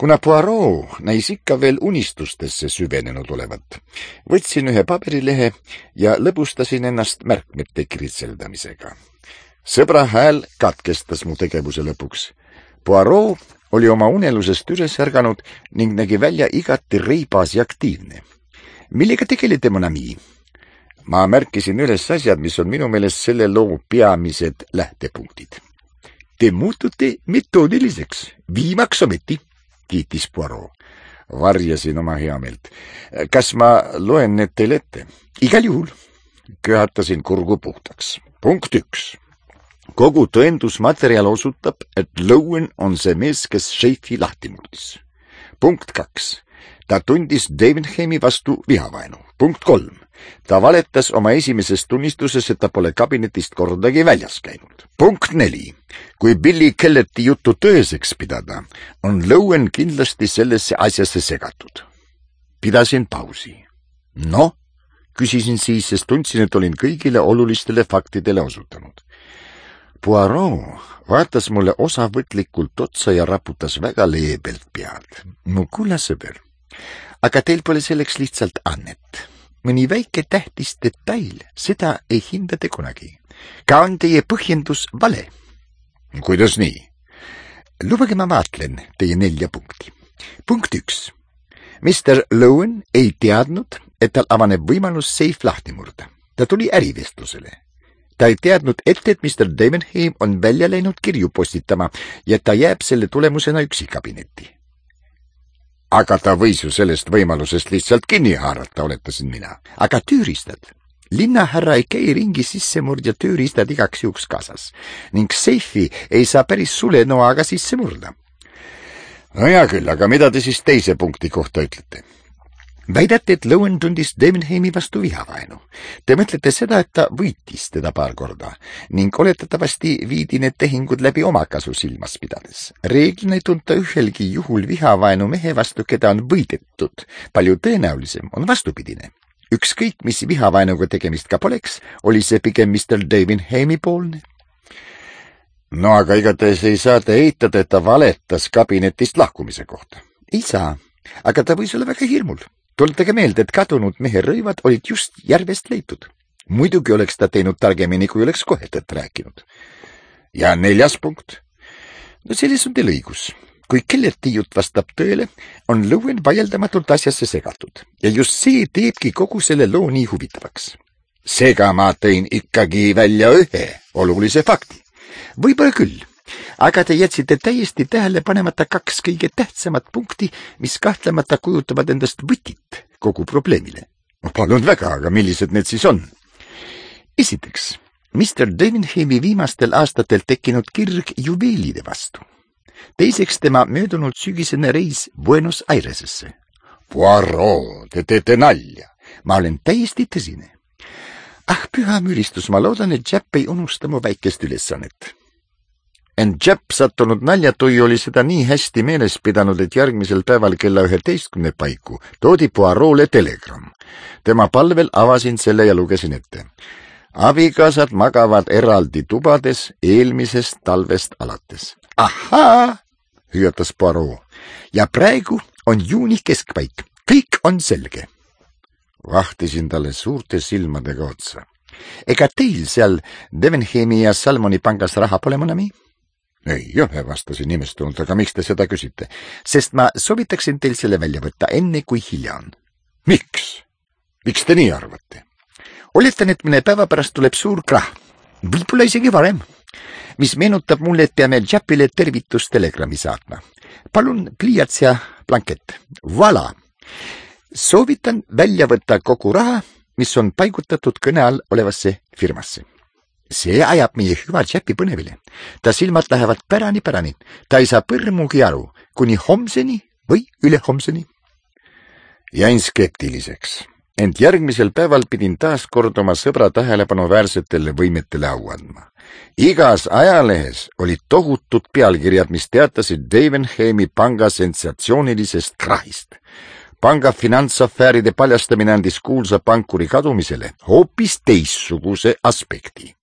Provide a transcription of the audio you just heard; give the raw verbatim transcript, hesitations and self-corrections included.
Kuna Poirot näis ikka veel unistustesse süvenenud olevat, võtsin ühe paberilehe ja lõbustasin ennast märkmete kiritseldamisega. Sõbra hääl katkestas mu tegevuse lõpuks. Poirot oli oma unelusest üles ärganud ning nägi välja igati reibas ja aktiivne. Millega tegelete, mon ami? Ma märkisin üles asjad, mis on minu meelest selle loo peamised lähtepunktid. Te muutute metoodiliseks, viimaks ometi, kiitis Poirot. Varjasin oma heameelt. Kas ma loen need teile ette? Igal juhul. Köhatasin kurgu puhtaks. Punkt üks. Kogu tõendusmaterjal osutab, et Lowen on see mees, kes šeifi lahti murdis. Punkt kaks. Ta tundis Davenhami vastu vihavaenu. Punkt kolm. Ta valetas oma esimeses tunnistuses, et ta pole kabinetist kordagi väljas käinud. Punkt neli. Kui Billy Kelleti juttu tõeseks pidada, on Lowen kindlasti sellesse asjasse segatud. Pidasin pausi. No, küsisin siis, sest tundsin, et olin kõigile olulistele faktidele osutanud. Poirot vaatas mulle osavõtlikult otsa ja raputas väga leebelt pead. Mu kulla sõber, aga teil pole selleks lihtsalt annet. Mõni väike tähtis detail, seda ei hindate kunagi. Ka on teie põhjendus vale. Kuidas nii? Lubage ma vaatlen teie nelja punkti. Punkt üks. mister Lowen ei teadnud, et tal avaneb võimalus seif lahti murda. Ta tuli ärivestlusele. Ta ei teadnud ette, et mister Davenham on välja läinud kirju postitama ja ta jääb selle tulemusena üksi kabinetti. Aga ta võis ju sellest võimalusest lihtsalt kinni haarata, oletasin mina. Aga tööriistad. Linnahärra ei käi ringi sissemurdja tööriistad igaks juhuks kaasas ning seifi ei saa päris sulenoaga sisse murda. No hea küll, aga mida te siis teise punkti kohta ütlete? Väidate, et Lowen tundis Davenhami vastu vihavaenu. Te mõtlete seda, et ta võitis teda paar korda ning oletatavasti viidi need tehingud läbi omakasu silmas pidades. Reeglina ei tunta ühelgi juhul vihavaenu mehe vastu, keda on võidetud. Palju tõenäolisem on vastupidine. Ükskõik, mis vihavaenuga tegemist ka poleks, oli see pigem mister Davenhami poolne. No aga igatahes ei saa te eitada, et ta valetas kabinetist lahkumise kohta. Ei saa, aga ta võis olla väga hirmul. Tuletage meelde, et kadunud mehe rõivad olid just järvest leitud. Muidugi oleks ta teinud targemini, kui oleks kohe tõtt rääkinud. Ja neljas punkt. No selles on teil õigus. Kui Kelleti jutt vastab tõele, on Lowen vaieldamatult asjasse segatud. Ja just see teebki kogu selle loo nii huvitavaks. Seega ma tõin ikkagi välja ühe olulise fakti. Võib-olla küll. Aga te jätsite täiesti tähele panemata kaks kõige tähtsamat punkti, mis kahtlemata kujutavad endast võtit kogu probleemile. Palun väga, aga millised need siis on? Esiteks, mister Davenhami viimastel aastatel tekkinud kirg juveelide vastu. Teiseks tema möödunud sügisene reis Buenos Airesesse. Poirot, te teete nalja. Ma olen täiesti tõsine. Ah, püha müristus, ma loodan, et Japp ei unusta mu väikest ülesannet. Ent Japp sattunud naljatui oli seda nii hästi meeles pidanud, et järgmisel päeval kella üheteistkümne paiku toodi Poirot'le telegramm. Tema palvel avasin selle ja lugesin ette. Abikaasad magavad eraldi tubades eelmisest talvest alates. Ahaa, hüüatas Poirot. Ja praegu on juuni keskpaik. Kõik on selge. Vahtisin talle suurte silmadega otsa. Ega teil seal Davenhami ja Salmoni pangas raha pole, monami? Ei ole, vastasin imestunult, aga miks te seda küsite? Sest ma soovitaksin teil selle välja võtta enne, kui hilja on. Miks? Miks te nii arvate? Oletan, et mõne päeva pärast tuleb suur krah. Võib-olla isegi varem. Mis meenutab mulle, et peame Jappile tervitustelegrammi saatma. Palun pliiats ja blankett. Voilà! Soovitan välja võtta kogu raha, mis on paigutatud kõne all olevasse firmasse. See ajab meie hüva Jappi põnevile. Ta silmad lähevad pärani-pärani. Ta ei saa põrmugi aru, kuni homseni või ülehomseni. Jäin skeptiliseks, ent järgmisel päeval pidin taas kord oma sõbra tähelepanuväärsetele võimetele au andma. Igas ajalehes olid tohutud pealkirjad, mis teatasid Davenhami panga sensatsioonilisest krahist. Panga finantsafääride paljastamine andis kuulsa pankuri kadumisele hoopis teistsuguse aspekti.